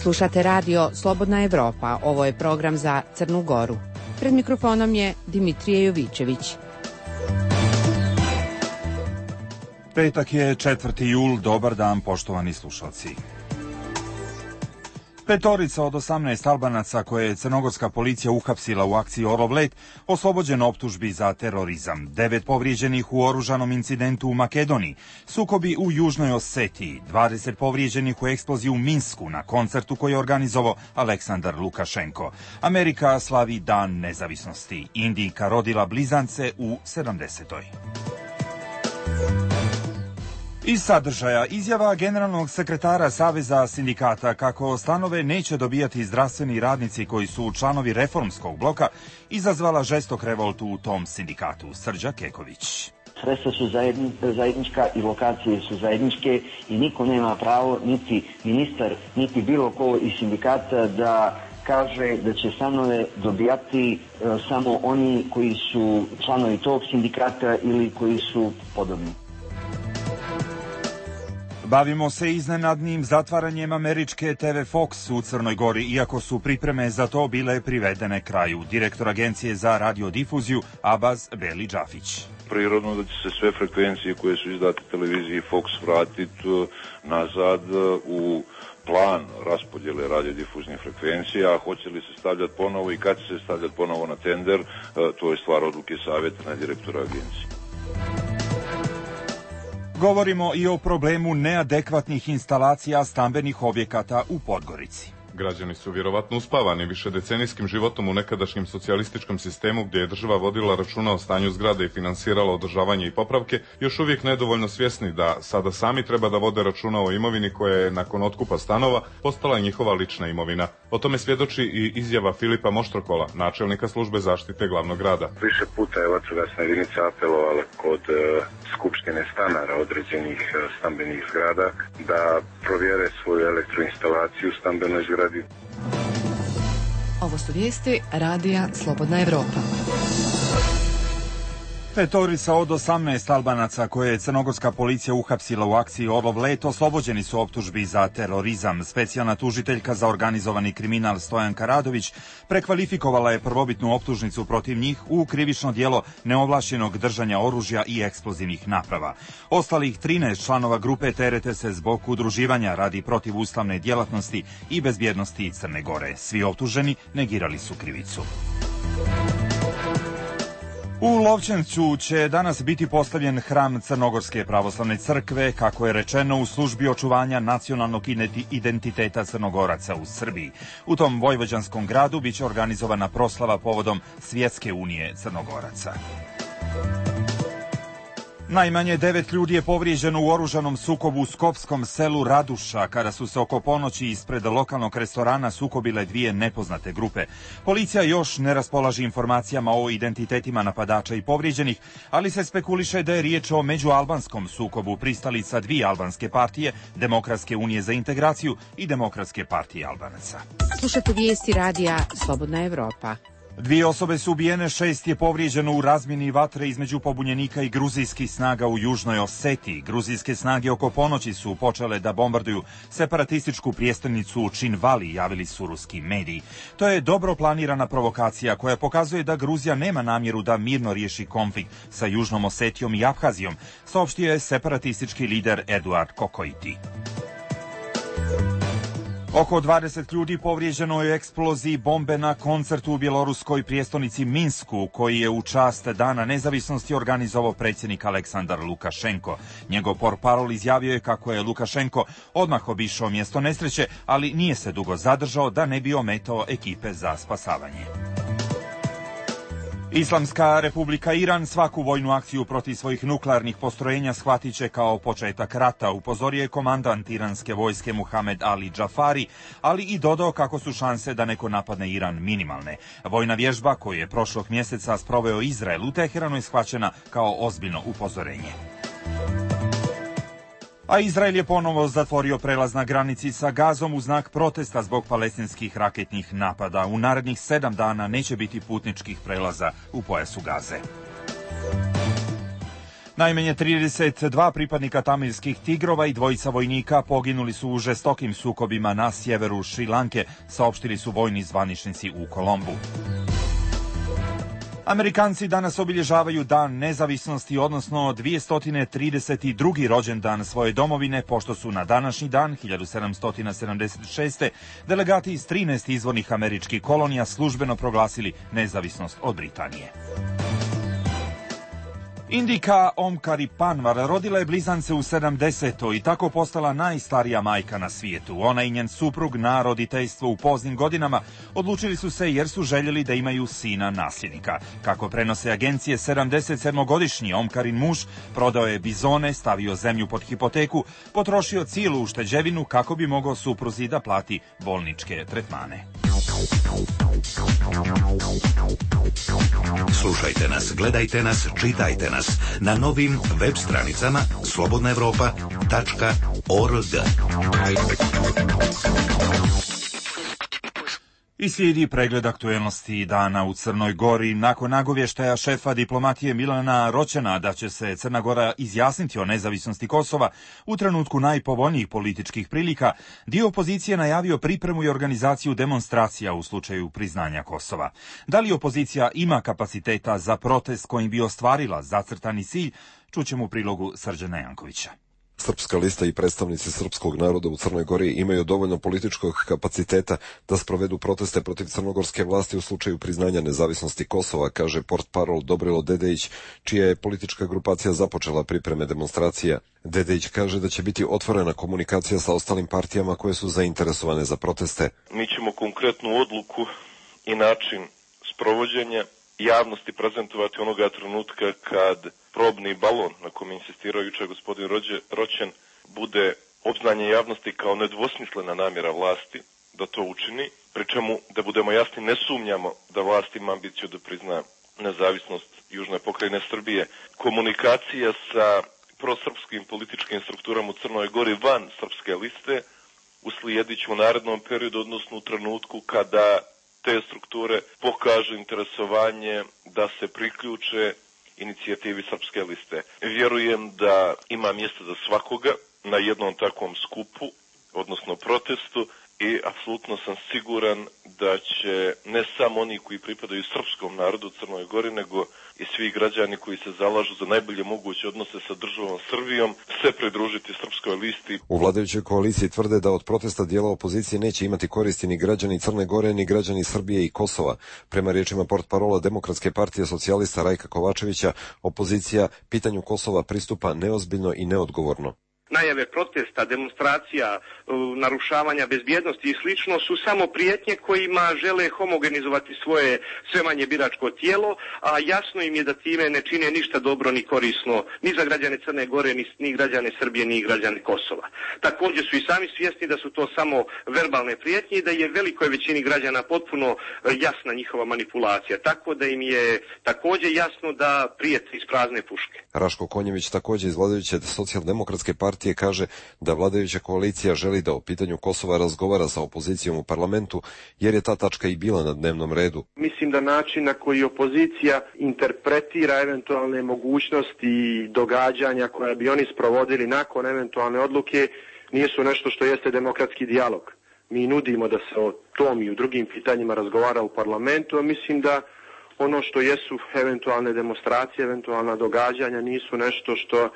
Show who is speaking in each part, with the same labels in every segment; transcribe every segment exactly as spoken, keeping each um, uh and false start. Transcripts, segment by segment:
Speaker 1: Slušate radio Slobodna Evropa, ovo je program za Crnu Goru. Pred mikrofonom je Dimitrije Jovićević.
Speaker 2: Petak je četvrti jul, dobar dan poštovani slušalci. Petorica od osamnaest Albanaca koje je crnogorska policija uhapsila u akciji Orlov let oslobođen optužbi za terorizam. Devet povrijeđenih u oružanom incidentu u Makedoniji, sukobi u Južnoj Osetiji, dvadeset povrijeđenih u eksploziji u Minsku na koncertu koji je organizovao Aleksandar Lukašenko. Amerika slavi Dan nezavisnosti. Indijka rodila blizance u sedamdesetoj. Iz sadržaja izjava generalnog sekretara Saveza sindikata kako stanove neće dobijati zdravstveni radnici koji su članovi reformskog bloka izazvala žestok revolt u tom sindikatu. Srđa Keković.
Speaker 3: Sredstva su zajednička i lokacije su zajedničke i niko nema pravo, niti ministar, niti bilo ko iz sindikata da kaže da će stanove dobijati e, samo oni koji su članovi tog sindikata ili koji su podobni.
Speaker 2: Bavimo se iznenadnim zatvaranjem američke te ve Fox u Crnoj Gori, iako su pripreme za to bile privedene kraju. Direktor Agencije za radiodifuziju Abaz Beli Džafić.
Speaker 4: Prirodno da će se sve frekvencije koje su izdate televiziji Fox vratiti nazad u plan raspodjele radiodifuznih frekvencija, a hoće li se stavljati ponovo i kad će se stavljati ponovo na tender, to je stvar odluke savjeta na direktora agencije.
Speaker 2: Govorimo i o problemu neadekvatnih instalacija stambenih objekata u Podgorici.
Speaker 5: Građani su vjerovatno uspavani višedecenijskim životom u nekadašnjem socijalističkom sistemu gdje je država vodila računa o stanju zgrade i finansirala održavanje i popravke, još uvijek nedovoljno svjesni da sada sami treba da vode računa o imovini koja je nakon otkupa stanova postala njihova lična imovina. O tome svjedoči i izjava Filipa Moštrokola, načelnika službe zaštite glavnog grada.
Speaker 6: Više puta je vatrogasna jedinica apelovala kod uh, skupštine stanara određenih uh, stambenih zgrada da provjere svoju elektroinstalaciju u stambenoj zgradi.
Speaker 7: Ovo su vijesti radija Slobodna Evropa.
Speaker 2: Petorica od osamnaest Albanaca koje je crnogorska policija uhapsila u akciji Orlov let oslobođeni su optužbi za terorizam. Specijalna tužiteljka za organizovani kriminal Stojanka Radović prekvalifikovala je prvobitnu optužnicu protiv njih u krivično djelo neovlašćenog držanja oružja i eksplozivnih naprava. Ostalih trinaest članova grupe terete se zbog udruživanja radi protivustavne djelatnosti i bezbjednosti Crne Gore. Svi optuženi negirali su krivicu. U Lovćencu će danas biti postavljen hram Crnogorske pravoslavne crkve, kako je rečeno, u službi očuvanja nacionalnog identiteta Crnogoraca u Srbiji. U tom vojvođanskom gradu biće organizovana proslava povodom Svjetske unije Crnogoraca. Najmanje devet ljudi je povrijeđeno u oružanom sukobu u skopskom selu Raduša, kada su se oko ponoći ispred lokalnog restorana sukobile dvije nepoznate grupe. Policija još ne raspolaže informacijama o identitetima napadača i povrijeđenih, ali se spekuliše da je riječ o međualbanskom sukobu pristalica dvije albanske partije, Demokratske unije za integraciju i Demokratske partije Albanaca.
Speaker 1: Slušate vijesti radija Slobodna Evropa.
Speaker 2: Dvije osobe su ubijene, šest je povrijeđeno u razmjeni vatre između pobunjenika i gruzijskih snaga u Južnoj Osetiji. Gruzijske snage oko ponoći su počele da bombarduju separatističku prijestolnicu Činvali, javili su ruski mediji. To je dobro planirana provokacija koja pokazuje da Gruzija nema namjeru da mirno riješi konflikt sa Južnom Osetijom i Abhazijom, saopštio je separatistički lider Eduard Kokoiti. Oko dvadeset ljudi povrijeđeno je u eksploziji bombe na koncertu u bjeloruskoj prijestolnici Minsku, koji je u čast Dana nezavisnosti organizovao predsjednik Aleksandar Lukašenko. Njegov portparol izjavio je kako je Lukašenko odmah obišao mjesto nesreće, ali nije se dugo zadržao da ne bi ometao ekipe za spasavanje. Islamska republika Iran svaku vojnu akciju protiv svojih nuklearnih postrojenja shvatit će kao početak rata, upozorio je komandant iranske vojske Muhamed Ali Džafari, ali i dodao kako su šanse da neko napadne Iran minimalne. Vojna vježba koju je prošlog mjeseca sproveo Izrael u Teheranu je shvaćena kao ozbiljno upozorenje. A Izrael je ponovo zatvorio prelaz na granici sa Gazom u znak protesta zbog palestinskih raketnih napada. U narednih sedam dana neće biti putničkih prelaza u pojasu Gaze. Najmanje trideset dva pripadnika tamilskih tigrova i dvojica vojnika poginuli su u žestokim sukobima na sjeveru Šrilanke, saopštili su vojni zvaničnici u Kolombu. Amerikanci danas obilježavaju Dan nezavisnosti, odnosno dvjesto trideset drugi rođendan svoje domovine, pošto su na današnji dan hiljadu sedamsto sedamdeset šeste. delegati iz trinaest izvornih američkih kolonija službeno proglasili nezavisnost od Britanije. Indika Omkari Panvar rodila je blizance u sedamdesetoj i tako postala najstarija majka na svijetu. Ona i njen suprug na roditeljstvo u poznim godinama odlučili su se jer su željeli da imaju sina nasljednika. Kako prenose agencije, sedamdesetsedmogodišnji Omkarin muž prodao je bizone, stavio zemlju pod hipoteku, potrošio cijelu ušteđevinu kako bi mogao supruzi da plati bolničke tretmane.
Speaker 8: Slušajte nas, gledajte nas, čitajte nas na novim web stranicama slobodna evropa tačka org.
Speaker 2: I slijedi pregled aktuelnosti dana u Crnoj Gori. Nakon nagovještaja šefa diplomatije Milana Roćena da će se Crna Gora izjasniti o nezavisnosti Kosova u trenutku najpovoljnijih političkih prilika, dio opozicije najavio pripremu i organizaciju demonstracija u slučaju priznanja Kosova. Da li opozicija ima kapaciteta za protest kojim bi ostvarila zacrtani cilj, čućemo u prilogu Srđana Jankovića.
Speaker 9: Srpska lista i predstavnici srpskog naroda u Crnoj Gori imaju dovoljno političkog kapaciteta da sprovedu proteste protiv crnogorske vlasti u slučaju priznanja nezavisnosti Kosova, kaže portparol Dobrilo Dedejić, čija je politička grupacija započela pripreme demonstracija. Dedejić kaže da će biti otvorena komunikacija sa ostalim partijama koje su zainteresovane za proteste.
Speaker 10: Mi ćemo konkretnu odluku i način sprovođenja javnosti prezentovati onoga trenutka kad probni balon na kom insistirao jučer gospodin Roćen bude obznanje javnosti kao nedvosmislena namjera vlasti da to učini, pri čemu, da budemo jasni, ne sumnjamo da vlast ima ambiciju da prizna nezavisnost južne pokrajine Srbije. Komunikacija sa prosrpskim političkim strukturama u Crnoj Gori van srpske liste uslijedit će u narednom periodu, odnosno u trenutku kada te strukture pokažu interesovanje da se priključe inicijativi srpske liste. Vjerujem da ima mjesta za svakoga na jednom takvom skupu, odnosno protestu, i apsolutno sam siguran da će ne samo oni koji pripadaju srpskom narodu u Crnoj Gori, nego i svi građani koji se zalažu za najbolje moguće odnose sa državom Srbijom se pridružiti srpskoj listi.
Speaker 9: U vladajućoj koaliciji tvrde da od protesta dijela opozicije neće imati koristi ni građani Crne Gore, ni građani Srbije i Kosova. Prema riječima portparola Demokratske partije socijalista Rajka Kovačevića, opozicija pitanju Kosova pristupa neozbiljno i neodgovorno.
Speaker 11: Najave protesta, demonstracija, narušavanja bezbjednosti i slično su samo prijetnje kojima žele homogenizovati svoje sve manje biračko tijelo, a jasno im je da time ne čine ništa dobro ni korisno ni za građane Crne Gore, ni, ni građane Srbije, ni građane Kosova. Također su i sami svjesni da su to samo verbalne prijetnje i da je velikoj većini građana potpuno jasna njihova manipulacija, tako da im je također jasno da prijete iz prazne puške.
Speaker 9: Raško Konjević, također iz vladajuće socijaldemokratske partije, kaže da vladajuća koalicija želi da o pitanju Kosova razgovara sa opozicijom u parlamentu, jer je ta tačka i bila na dnevnom redu.
Speaker 11: Mislim da način na koji opozicija interpretira eventualne mogućnosti i događanja koja bi oni sprovodili nakon eventualne odluke nisu nešto što jeste demokratski dijalog. Mi nudimo da se o tom i u drugim pitanjima razgovara u parlamentu, a mislim da ono što jesu eventualne demonstracije, eventualna događanja nisu nešto što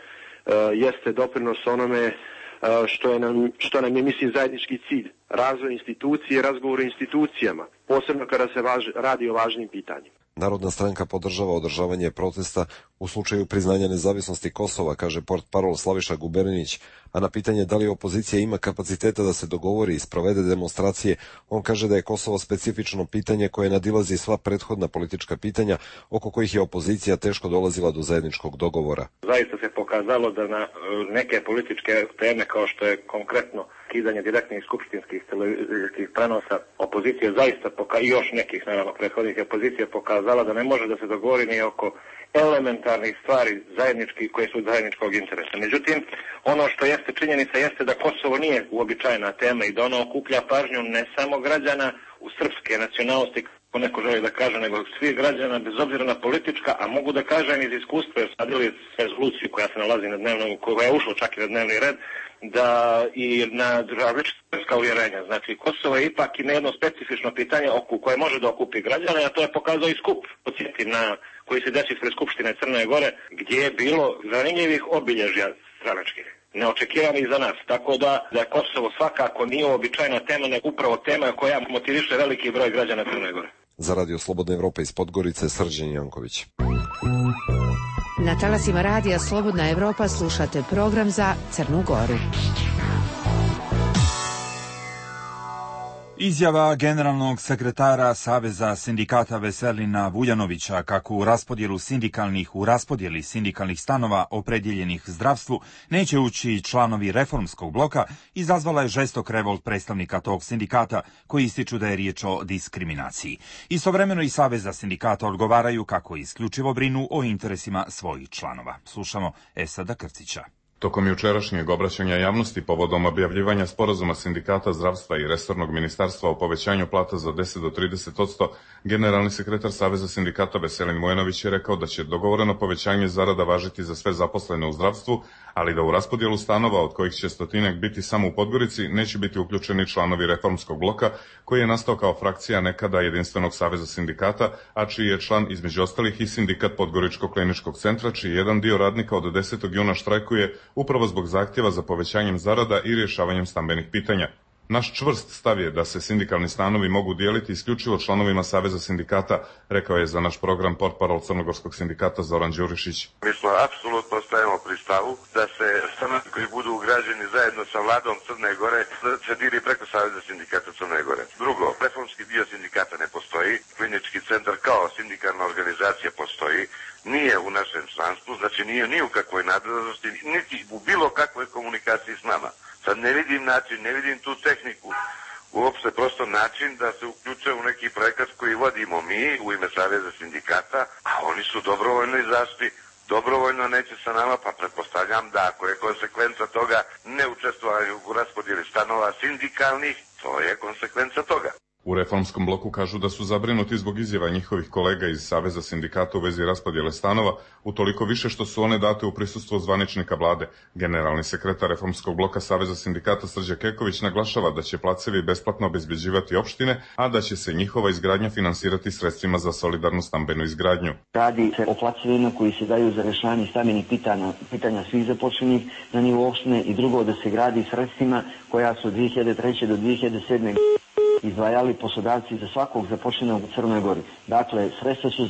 Speaker 11: Uh, jeste doprinos onome uh, što, je nam, što nam je, mislim, zajednički cilj. Razvoj institucije, razgovor o institucijama, posebno kada se važ, radi o važnim pitanjima.
Speaker 9: Narodna stranka podržava održavanje protesta u slučaju priznanja nezavisnosti Kosova, kaže portparol Slaviša Guberinić, a na pitanje da li opozicija ima kapaciteta da se dogovori i sprovede demonstracije, on kaže da je Kosovo specifično pitanje koje nadilazi sva prethodna politička pitanja oko kojih je opozicija teško dolazila do zajedničkog dogovora.
Speaker 12: Zaista se pokazalo da na neke političke teme kao što je konkretno kidanje direktnih skupštinskih televizijskih prenosa, opozicija zaista poka- i još nekih naravno prethodnih opozicija pokazala da ne može da se dogovori ni oko elementarnih stvari zajedničkih koje su od zajedničkog interesa. Međutim, ono što jeste jeste činjenica jeste da Kosovo nije uobičajena tema i da ona okuplja pažnju ne samo građana u srpske nacionalnosti, kako neko želi da kaže, nego svih građana bez obzira na politička, a mogu da kažem iz iskustva, jer sadili rezoluciju koja se nalazi na dnevnom, koja je ušla čak i na dnevni red, da i na različita uvjerenja. Znači, Kosovo je ipak i na jedno specifično pitanje oko koje može da okupi građane, a to je pokazao i skup, podsjetim, na koji se desi ispred Skupštine Crne Gore, gdje je bilo zanimljivih obilježja stranačkih, neočekivanih za nas. Tako da, da je Kosovo svakako nije uobičajena tema, nego upravo tema koja motiviše veliki broj građana Crne Gore.
Speaker 9: Za Radio Slobodna Evropa iz Podgorice, Srđan Janković.
Speaker 1: Na talasima radija Slobodna Evropa slušate program za Crnu Goru.
Speaker 2: Izjava generalnog sekretara Saveza sindikata Veselina Vuljanovića kako u raspodjelu sindikalnih u raspodjeli sindikalnih stanova opredjeljenih zdravstvu neće ući članovi reformskog bloka izazvala je žestok revolt predstavnika tog sindikata koji ističu da je riječ o diskriminaciji. Istovremeno i Saveza sindikata odgovaraju kako isključivo brinu o interesima svojih članova. Slušamo Esada Krcića.
Speaker 5: Tokom jučerašnjeg obraćanja javnosti povodom objavljivanja sporazuma sindikata zdravstva i resornog ministarstva o povećanju plata za deset do trideset posto, generalni sekretar Saveza sindikata Veselin Vujanović je rekao da će dogovoreno povećanje zarada važiti za sve zaposlene u zdravstvu, ali da u raspodjelu stanova, od kojih će stotinak biti samo u Podgorici, neće biti uključeni članovi reformskog bloka, koji je nastao kao frakcija nekada Jedinstvenog saveza sindikata, a čiji je član između ostalih i sindikat Podgoričkog kliničkog centra, čiji jedan dio radnika od desetog juna štrajkuje upravo zbog zahtjeva za povećanjem zarada i rješavanjem stambenih pitanja. Naš čvrst stav je da se sindikalni stanovi mogu dijeliti isključivo članovima Saveza sindikata, rekao je za naš program portparol Crnogorskog sindikata Zoran Đurišić.
Speaker 13: Mi smo apsolutno stajemo pri stavu da se stanovi koji budu ugrađeni zajedno sa vladom Crne Gore se diri preko Saveza sindikata Crne Gore. Drugo, reformski dio sindikata ne postoji, klinički centar kao sindikalna organizacija postoji, nije u našem članstvu, znači nije ni u kakvoj nadležnosti, niti u bilo kakvoj komunikaciji s nama. Sad ne vidim način, ne vidim tu tehniku, uopšte prosto način da se uključe u neki projekat koji vodimo mi u ime Saveza sindikata, a oni su dobrovoljno izašli, dobrovoljno neće sa nama, pa pretpostavljam da ako je konsekvenca toga ne učestvovanje u raspodjeli stanova sindikalnih, to je konsekvenca toga.
Speaker 5: U reformskom bloku kažu da su zabrinuti zbog izjava njihovih kolega iz Saveza sindikata u vezi raspodjele stanova, utoliko više što su one date u prisustvu zvaničnika vlade. Generalni sekretar reformskog bloka Saveza sindikata Srđan Keković naglašava da će placevi besplatno obezbeđivati opštine, a da će se njihova izgradnja finansirati sredstvima za solidarnu stambenu izgradnju.
Speaker 3: Radi se o placevima koji se daju za rješavanje stambenih pitanja, pitanja svih započenih na nivou opštine i drugo da se gradi sredstvima koja su od dvije hiljade treće do dvije hiljade sedme izdvajali poslodavci za svakog zaposlenog u Crnoj Gori. Dakle, sredstva su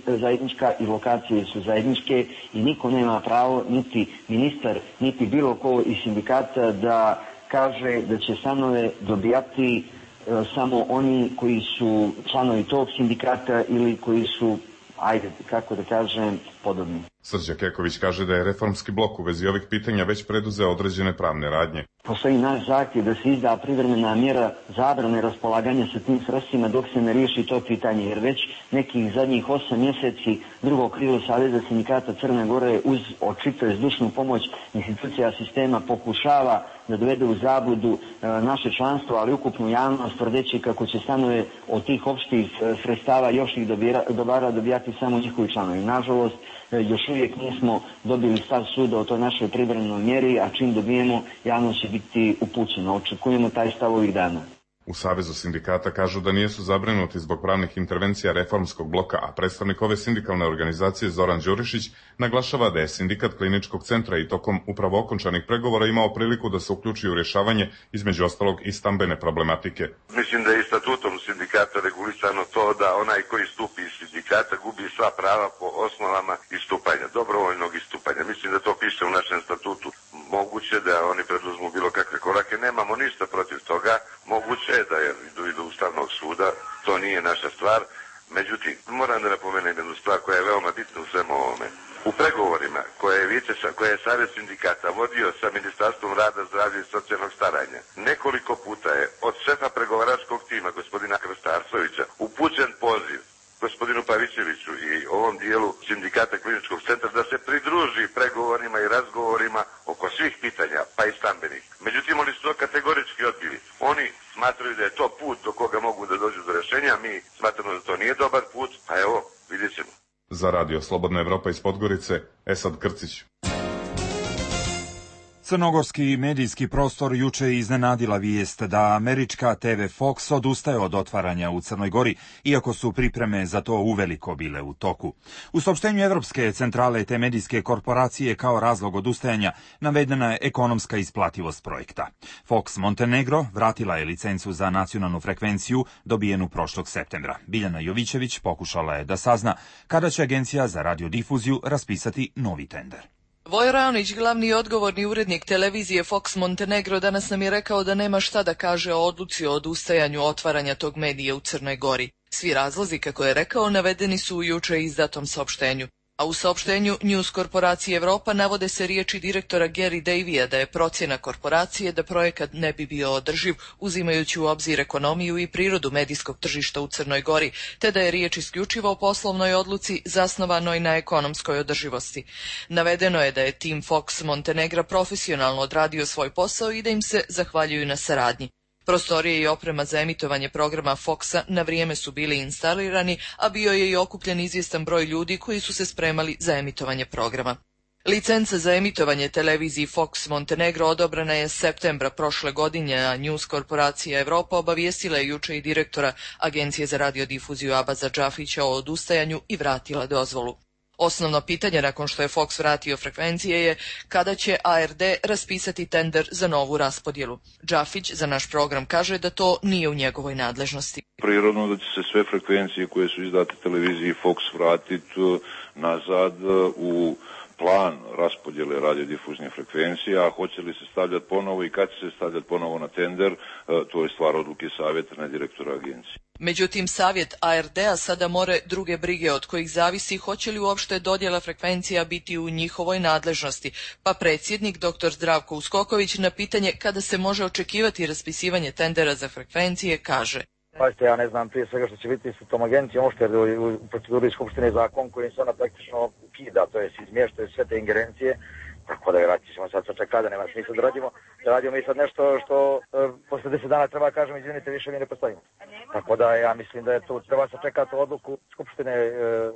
Speaker 3: zajednička i lokacije su zajedničke i niko nema pravo, niti ministar, niti bilo ko iz sindikata da kaže da će stanove dobijati e, samo oni koji su članovi tog sindikata ili koji su, ajde, kako da kažem, podobni.
Speaker 5: Srđan Keković kaže da je reformski blok u vezi ovih pitanja već preduzeo određene pravne radnje.
Speaker 3: Postoji naš zahtjev da se izda privremena mjera zabrane raspolaganja sa tim sredstvima dok se ne riješi to pitanje, jer već nekih zadnjih osam mjeseci drugo krilo Saveza sindikata Crne Gore uz očito zdušnu pomoć institucija sistema pokušava da dovede u zabludu e, naše članstvo, ali ukupnu javnost, tvrdeći kako će stanove od tih opštih sredstava još ih dobara dobijati samo njihovi članovi. Nažalost, e, još uvijek nismo dobili stav suda o toj našoj privremenoj mjeri, a čim dobijemo, javnost će biti upućena. Očekujemo taj stav ovih dana.
Speaker 5: U Savezu sindikata kažu da nijesu zabrinuti zbog pravnih intervencija reformskog bloka, a predstavnik ove sindikalne organizacije Zoran Đurišić naglašava da je sindikat kliničkog centra i tokom upravo okončanih pregovora imao priliku da se uključi u rješavanje između ostalog i stambene problematike.
Speaker 13: Mislim da je i statutom sindikata regulisano to da onaj koji stupi iz sindikata gubi sva prava po osnovama istupanja, dobrovoljnog istupanja. Mislim da to piše u našem statutu. Moguće da oni preduzmu bilo kakve korake, nemamo ništa protiv toga, moguće je da idu do Ustavnog suda, to nije naša stvar. Međutim, moram da napomenem jednu stvar koja je veoma bitna u svemu ovome. U pregovorima koje je, Vice, koje je Savez sindikata vodio sa Ministarstvom rada, zdravlja i socijalnog staranja, nekoliko puta je od šefa pregovaračkog tima, gospodina Krastarsovića, upućen poziv gospodinu Pavićeviću i ovom dijelu sindikata kliničkog centra da se pridruži pregovorima i razgovorima oko svih pitanja, pa i stanova. put do koga mogu da dođu do rešenja. Mi smatramo da to nije dobar put, a evo, vidjet ćemo.
Speaker 5: Za radio Slobodna Evropa iz Podgorice, Esad Krcić.
Speaker 2: Crnogorski medijski prostor juče je iznenadila vijest da američka te ve Fox odustaje od otvaranja u Crnoj Gori, iako su pripreme za to uveliko bile u toku. U saopštenju Evropske centrale te medijske korporacije kao razlog odustajanja navedena je ekonomska isplativost projekta. Fox Montenegro vratila je licencu za nacionalnu frekvenciju dobijenu prošlog septembra. Biljana Jovićević pokušala je da sazna kada će Agencija za radiodifuziju raspisati novi tender.
Speaker 14: Vojo Raonić, glavni i odgovorni urednik televizije Fox Montenegro, danas nam je rekao da nema šta da kaže o odluci o odustajanju otvaranja tog medija u Crnoj Gori. Svi razlozi, kako je rekao, navedeni su u juče izdatom saopštenju. A u saopštenju News korporacije Evropa navode se riječi direktora Gary Davija da je procjena korporacije da projekat ne bi bio održiv, uzimajući u obzir ekonomiju i prirodu medijskog tržišta u Crnoj Gori, te da je riječ isključivo o poslovnoj odluci zasnovanoj na ekonomskoj održivosti. Navedeno je da je tim Fox Montenegra profesionalno odradio svoj posao i da im se zahvaljuju na saradnji. Prostorije i oprema za emitovanje programa Foxa na vrijeme su bili instalirani, a bio je i okupljen izvjestan broj ljudi koji su se spremali za emitovanje programa. Licenca za emitovanje televiziji Fox Montenegro odobrena je septembra prošle godine, a News korporacija Evropa obavijestila je juče i direktora Agencije za radiodifuziju Abaza Džafića o odustajanju i vratila dozvolu. Osnovno pitanje nakon što je Fox vratio frekvencije je kada će a er de raspisati tender za novu raspodjelu. Džafić za naš program kaže da to nije u njegovoj nadležnosti.
Speaker 4: Prirodno da će se sve frekvencije koje su izdate televiziji Fox vratiti nazad u plan raspodjele radiodifuznih frekvencija, a hoće li se stavljati ponovo i kad će se stavljati ponovo na tender, to je stvar odluke savjeta, ne direktora agencije.
Speaker 14: Međutim, savjet a er de-a sada more druge brige od kojih zavisi hoće li uopšte dodjela frekvencija biti u njihovoj nadležnosti, pa predsjednik dr. Zdravko Uskoković na pitanje kada se može očekivati raspisivanje tendera za frekvencije kaže:
Speaker 15: Pazite, ja ne znam prije svega što će biti sa tom agencijom, što je u proceduri Skupštine zakon koji se ona praktično ukida, to je izmještaju sve te ingerencije, tako da vjerojatno ćemo sad sačekati, da nema smisla da radimo, da radimo mi sad nešto što e, posle deset dana treba kažem, izvinite, više mi ne postojimo. Tako da ja mislim da je tu treba sačekati odluku Skupštine e,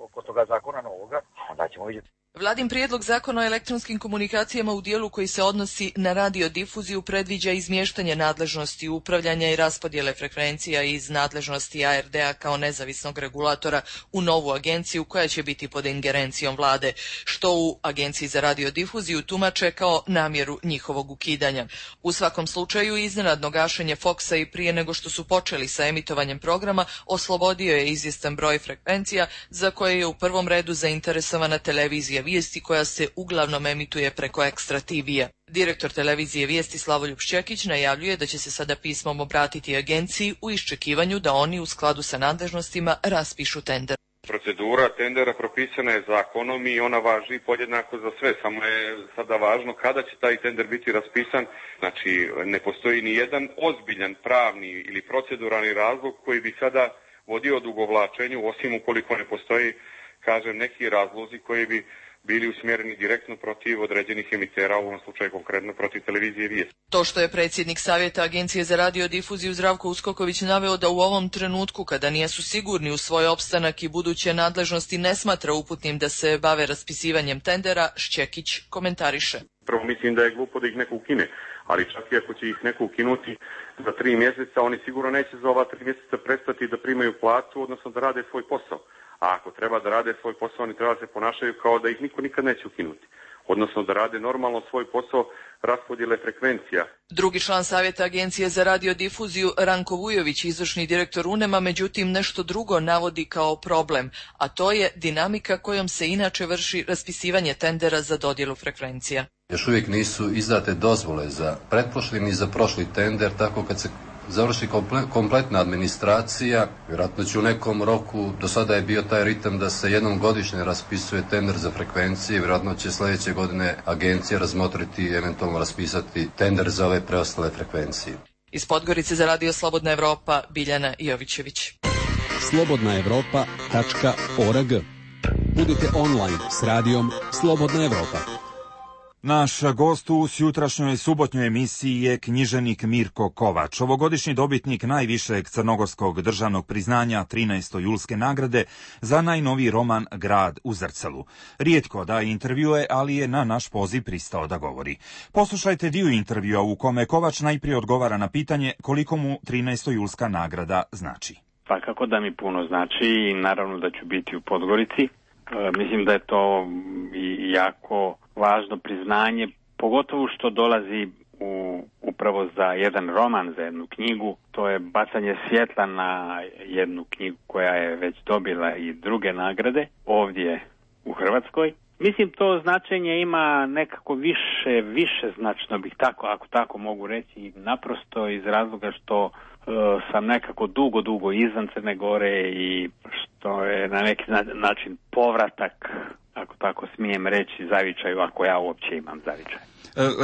Speaker 15: oko toga zakona novoga, onda ćemo vidjeti.
Speaker 14: Vladin prijedlog zakona o elektronskim komunikacijama u dijelu koji se odnosi na radiodifuziju predviđa izmještanje nadležnosti upravljanja i raspodjele frekvencija iz nadležnosti a er de-a kao nezavisnog regulatora u novu agenciju koja će biti pod ingerencijom vlade, što u Agenciji za radiodifuziju tumače kao namjeru njihovog ukidanja. U svakom slučaju, iznenadno gašenje Foxa i prije nego što su počeli sa emitovanjem programa oslobodio je izvjestan broj frekvencija za koje je u prvom redu zainteresovana televizija Vijesti koja se uglavnom emituje preko Ekstra te ve-a. Direktor televizije Vijesti Slavoljub Šćekić najavljuje da će se sada pismom obratiti agenciji u iščekivanju da oni u skladu sa nadležnostima raspišu tender.
Speaker 16: Procedura tendera propisana je zakonom i ona važi podjednako za sve, samo je sada važno kada će taj tender biti raspisan. Znači, ne postoji ni jedan ozbiljan pravni ili proceduralni razlog koji bi sada vodio odugovlačenju, osim ukoliko ne postoji, kažem, neki razlozi koji bi bili usmjereni direktno protiv određenih emitera, u ovom slučaju konkretno protiv televizije Vijest.
Speaker 14: To što je predsjednik Savjeta Agencije za radiodifuziju Zdravko Uskoković naveo da u ovom trenutku, kada nisu sigurni u svoj opstanak i buduće nadležnosti, ne smatra uputnim da se bave raspisivanjem tendera, Šćekić komentariše.
Speaker 16: Prvo mislim da je glupo da ih neko ukine, ali čak i ako će ih neko ukinuti za tri mjeseca, oni sigurno neće za ova tri mjeseca prestati da primaju platu, odnosno da rade svoj posao. A ako treba da rade svoj posao, oni treba da se ponašaju kao da ih niko nikad neće ukinuti. Odnosno da rade normalno svoj posao raspodjele frekvencija.
Speaker 14: Drugi član Savjeta Agencije za radiodifuziju Ranko Vujović, izvršni direktor UNEM-a, međutim nešto drugo navodi kao problem, a to je dinamika kojom se inače vrši raspisivanje tendera za dodjelu frekvencija.
Speaker 17: Još uvijek nisu izdate dozvole za pretprošli ni za prošli tender, tako kad se završi komple, kompletna administracija, vjerojatno će u nekom roku, do sada je bio taj ritam da se jednom godišnje raspisuje tender za frekvencije, vjerojatno će sljedeće godine agencija razmotriti i eventualno raspisati tender za ove preostale frekvencije.
Speaker 14: Iz Podgorice za Radio Slobodna Evropa, Biljana Jovićević.
Speaker 18: slobodna evropa tačka org. Budite online s radijom Slobodna Evropa.
Speaker 2: Naš gost u sjutrašnjoj subotnjoj emisiji je književnik Mirko Kovač, ovogodišnji dobitnik najvišeg crnogorskog državnog priznanja trinaeste julske nagrade za najnoviji roman Grad u zrcalu. Rijetko daje intervjue, ali je na naš poziv pristao da govori. Poslušajte dio intervjua u kome Kovač najprije odgovara na pitanje koliko mu trinaesta julska nagrada znači.
Speaker 19: Pa kako da mi puno znači i naravno da ću biti u Podgorici. E, mislim da je to i jako važno priznanje, pogotovo što dolazi u, upravo za jedan roman, za jednu knjigu. To je bacanje svjetla na jednu knjigu koja je već dobila i druge nagrade ovdje u Hrvatskoj. Mislim, to značenje ima nekako više, više značno bih tako, ako tako mogu reći, naprosto iz razloga što uh, sam nekako dugo, dugo izvan Crne Gore i što je na neki način povratak, ako tako smijem reći, zavičaju, ako ja uopće imam zavičaj.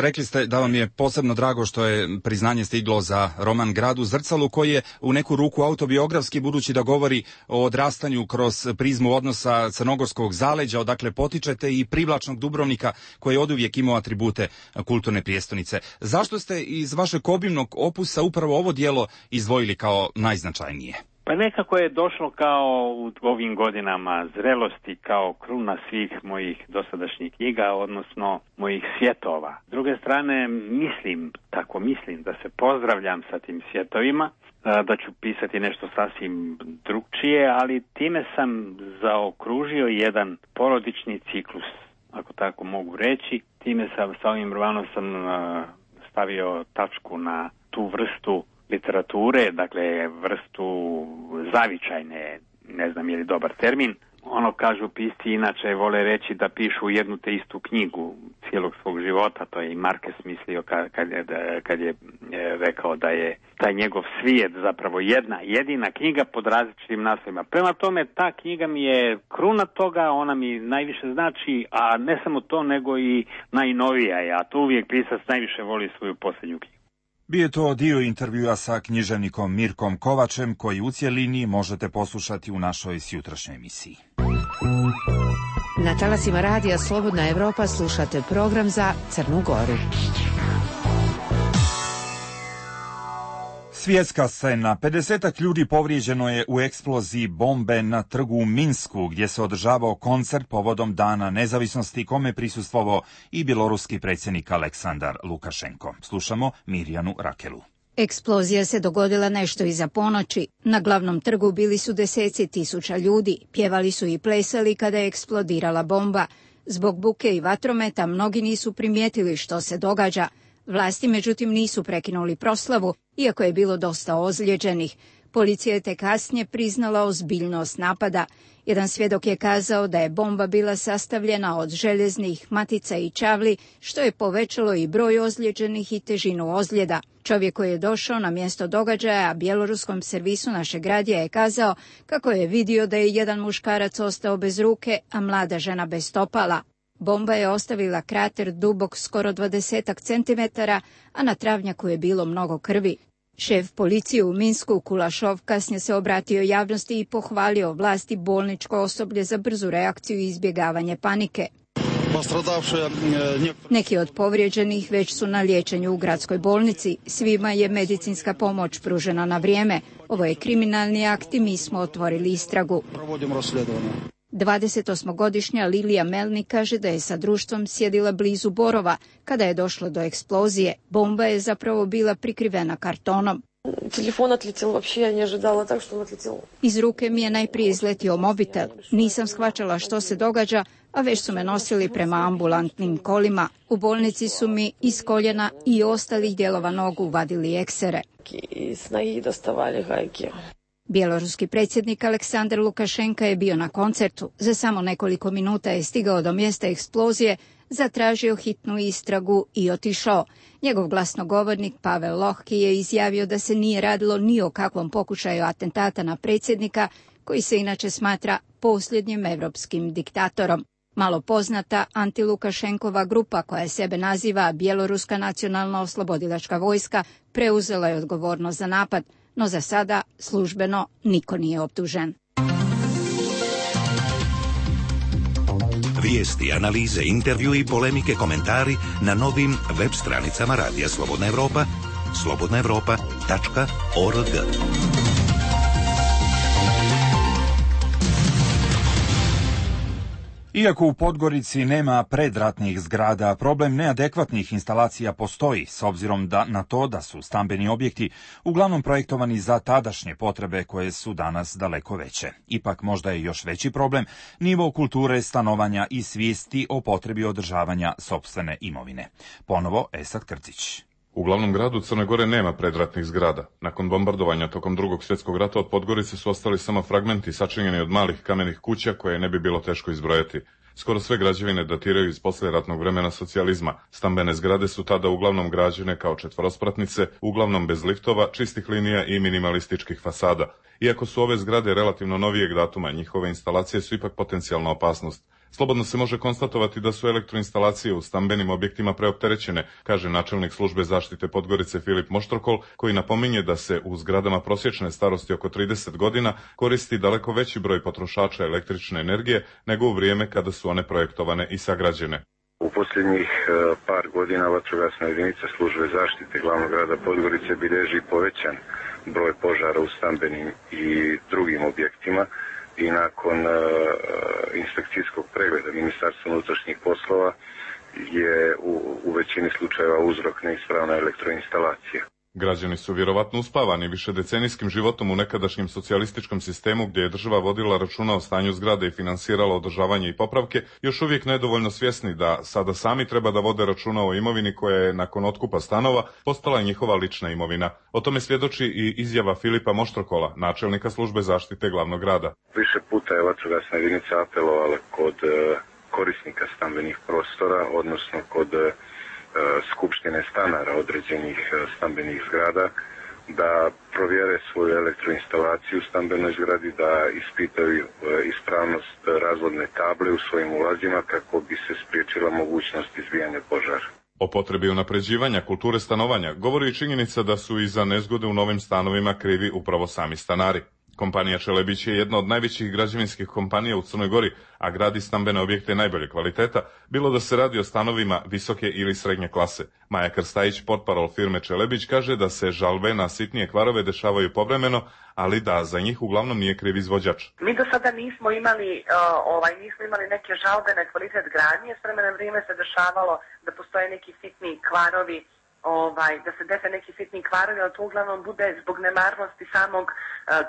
Speaker 2: Rekli ste da vam je posebno drago što je priznanje stiglo za roman Grad u zrcalu, koji je u neku ruku autobiografski, budući da govori o odrastanju kroz prizmu odnosa crnogorskog zaleđa, odakle potičete, i privlačnog Dubrovnika koji je oduvijek imao atribute kulturne prijestolnice. Zašto ste iz vašeg obimnog opusa upravo ovo djelo izdvojili kao najznačajnije?
Speaker 19: Pa nekako je došlo kao u ovim godinama zrelosti, kao kruna svih mojih dosadašnjih knjiga, odnosno mojih svjetova. S druge strane, mislim, tako mislim, da se pozdravljam sa tim svjetovima, da ću pisati nešto sasvim drugčije, ali time sam zaokružio jedan porodični ciklus, ako tako mogu reći. Time sam, sa ovim romanom sam stavio tačku na tu vrstu literature, dakle vrstu zavičajne, ne znam je li dobar termin. Ono kažu pisci inače vole reći da pišu jednu te istu knjigu cijelog svog života, to je i Marquez mislio kad, kad, je, kad je rekao da je taj njegov svijet zapravo jedna, jedina knjiga pod različitim naslovima. Prema tome, ta knjiga mi je kruna toga, ona mi najviše znači, a ne samo to, nego i najnovija je, a to uvijek pisac najviše voli svoju posljednju knjigu.
Speaker 2: Bio je to dio intervjua sa književnikom Mirkom Kovačem, koji u cjelini možete poslušati u našoj sjutrašnjoj emisiji.
Speaker 1: Na talasima radija Slobodna Evropa slušate program za Crnu Goru.
Speaker 2: Svjetska scena. pedesetak ljudi povrijeđeno je u eksploziji bombe na trgu u Minsku, gdje se održavao koncert povodom Dana nezavisnosti, kome prisustvovao i bjeloruski predsjednik Aleksandar Lukašenko. Slušamo Mirjanu Rakelu.
Speaker 20: Eksplozija se dogodila nešto iza ponoći. Na glavnom trgu bili su deseci tisuća ljudi. Pjevali su i plesali kada je eksplodirala bomba. Zbog buke i vatrometa mnogi nisu primijetili što se događa. Vlasti međutim nisu prekinuli proslavu, iako je bilo dosta ozlijeđenih. Policija je te kasnije priznala ozbiljnost napada. Jedan svjedok je kazao da je bomba bila sastavljena od željeznih matica i čavli, što je povećalo i broj ozlijeđenih i težinu ozljeda. Čovjek koji je došao na mjesto događaja bjeloruskom servisu našeg radija je kazao kako je vidio da je jedan muškarac ostao bez ruke, a mlada žena bez stopala. Bomba je ostavila krater dubok skoro dvadesetak centimetara, a na travnjaku je bilo mnogo krvi. Šef policije u Minsku, Kulašov, kasnije se obratio javnosti i pohvalio vlasti bolničko osoblje za brzu reakciju i izbjegavanje panike. Neki od povrijeđenih već su na liječenju u gradskoj bolnici. Svima je medicinska pomoć pružena na vrijeme. Ovo je kriminalni akt i mi smo otvorili istragu. dvadesetosmogodišnja Lilija Melnik kaže da je sa društvom sjedila blizu Borova kada je došlo do eksplozije. Bomba je zapravo bila prikrivena kartonom.
Speaker 21: Telefon odletio, uopće ja ne ожидала так što on odletio.
Speaker 20: Iz ruke mi je najprije izletio mobitel. Nisam shvaćala što se događa, a već su me nosili prema ambulantnim kolima. U bolnici su mi iz koljena i ostalih dijelova nogu vadili eksere.
Speaker 21: Iz nogi dostavali gajke.
Speaker 20: Bjeloruski predsjednik Aleksandar Lukašenka je bio na koncertu. Za samo nekoliko minuta je stigao do mjesta eksplozije, zatražio hitnu istragu i otišao. Njegov glasnogovornik Pavel Lohki je izjavio da se nije radilo ni o kakvom pokušaju atentata na predsjednika, koji se inače smatra posljednjim evropskim diktatorom. Malo poznata antilukašenkova grupa, koja sebe naziva Bjeloruska nacionalna oslobodilačka vojska, preuzela je odgovornost za napad, no za sada službeno niko nije optužen.
Speaker 8: Vi Vijesti, analize, intervju i polemike, komentari na novim web stranicama Radija Slobodna Evropa, slobodna evropa tačka org.
Speaker 2: Iako u Podgorici nema predratnih zgrada, problem neadekvatnih instalacija postoji, s obzirom da na to da su stambeni objekti uglavnom projektovani za tadašnje potrebe koje su danas daleko veće. Ipak možda je još veći problem nivo kulture stanovanja i svijesti o potrebi održavanja sopstvene imovine. Ponovo Esad Krcić.
Speaker 5: U glavnom gradu Crne Gore nema predratnih zgrada. Nakon bombardovanja tokom drugog svjetskog rata od Podgorice su ostali samo fragmenti sačinjeni od malih kamenih kuća koje ne bi bilo teško izbrojati. Skoro sve građevine datiraju iz poslijeratnog vremena socijalizma. Stambene zgrade su tada uglavnom građene kao četvorospratnice, uglavnom bez liftova, čistih linija i minimalističkih fasada. Iako su ove zgrade relativno novijeg datuma, njihove instalacije su ipak potencijalna opasnost. Slobodno se može konstatovati da su elektroinstalacije u stambenim objektima preopterećene, kaže načelnik službe zaštite Podgorice Filip Moštrokol, koji napominje da se u zgradama prosječne starosti oko trideset godina koristi daleko veći broj potrošača električne energije nego u vrijeme kada su one projektovane i sagrađene.
Speaker 6: U posljednjih par godina vatrogasna jedinica službe zaštite glavnog grada Podgorice bilježi povećan broj požara u stambenim i drugim objektima. I nakon uh, inspekcijskog pregleda Ministarstva unutrašnjih poslova je u, u većini slučajeva uzrok neispravna elektroinstalacija.
Speaker 5: Građani su vjerovatno uspavani višedecenijskim životom u nekadašnjem socijalističkom sistemu gdje je država vodila računa o stanju zgrade i finansirala održavanje i popravke, još uvijek nedovoljno svjesni da sada sami treba da vode računa o imovini koja je nakon otkupa stanova postala njihova lična imovina. O tome svjedoči i izjava Filipa Moštrokola, načelnika službe zaštite glavnog grada.
Speaker 6: Više puta je vatrogasna jedinica apelovala kod uh, korisnika stambenih prostora, odnosno kod uh, skupštine stanara određenih stambenih zgrada, da provjere svoju elektroinstalaciju u stambenoj zgradi, da ispitaju ispravnost razvodne table u svojim ulazima kako bi se spriječila mogućnost izbijanja požara.
Speaker 5: O potrebi unapređivanja kulture stanovanja govori i činjenica da su i za nezgode u novim stanovima krivi upravo sami stanari. Kompanija Čelebić je jedna od najvećih građevinskih kompanija u Crnoj Gori, a gradi stambene objekte najbolje kvaliteta, bilo da se radi o stanovima visoke ili srednje klase. Maja Krstajić, portparol firme Čelebić, kaže da se žalbe na sitnije kvarove dešavaju povremeno, ali da za njih uglavnom nije kriv izvođač.
Speaker 22: Mi do sada nismo imali, uh, ovaj, nismo imali neke žalbe na kvalitet gradnje, s vremenom vrijeme se dešavalo da postoje neki sitni kvarovi, Ovaj, da se dese neki sitni kvarovi, ali to uglavnom bude zbog nemarnosti samog uh,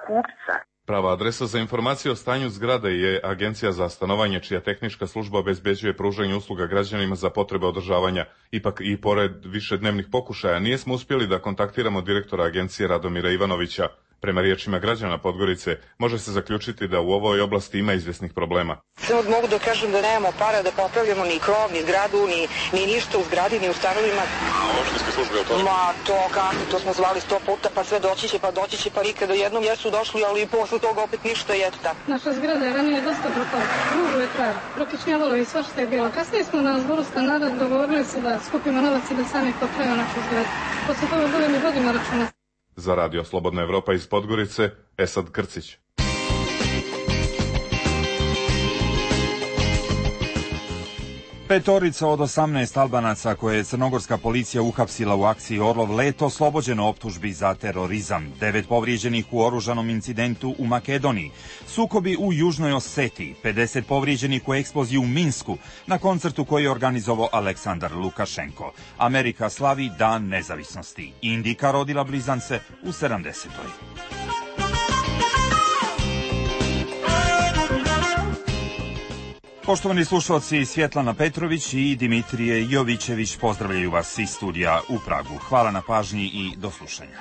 Speaker 22: kupca.
Speaker 5: Prava adresa za informacije o stanju zgrade je Agencija za stanovanje, čija tehnička služba obezbeđuje pružanje usluga građanima za potrebe održavanja. Ipak i pored višednevnih pokušaja nismo uspjeli da kontaktiramo direktora agencije Radomira Ivanovića. Prema riječima građana Podgorice, može se zaključiti da u ovoj oblasti ima izvjesnih problema.
Speaker 23: Samo mogu da kažem da nemamo para da popravljamo ni krov, ni zgradu, ni, ni ništa u zgradi, ni u stanovima.
Speaker 5: A opštinske službe o to?
Speaker 23: Ma to kako, to smo zvali sto puta, pa sve doći će, pa doći će, pa nikada jednom jesu došli, ali posle toga opet ništa i eto tako.
Speaker 24: Naša zgrada je ranije dosta propala, ružu je trav, prokišnjavalo i svašta je bilo. Kasnije smo na zboru stanara dogovorili se da skupimo novac i da sami popravimo našu zgradu. Posle toga bude mi vodimo računa.
Speaker 5: Za Radio Slobodna Evropa iz Podgorice, Esad Krcić.
Speaker 2: Petorica od osamnaest Albanaca koje je crnogorska policija uhapsila u akciji Orlov leto oslobođeno optužbi za terorizam. Devet povrijeđenih u oružanom incidentu u Makedoniji. Sukobi u Južnoj Osetiji. pedeset povrijeđenih u eksploziji u Minsku na koncertu koji je organizovao Aleksandar Lukašenko. Amerika slavi Dan nezavisnosti. Indika rodila blizance u sedamdesetoj. Poštovani slušalci, Svjetlana Petrović i Dimitrije Jovićević pozdravljaju vas iz studija u Pragu. Hvala na pažnji i do slušanja.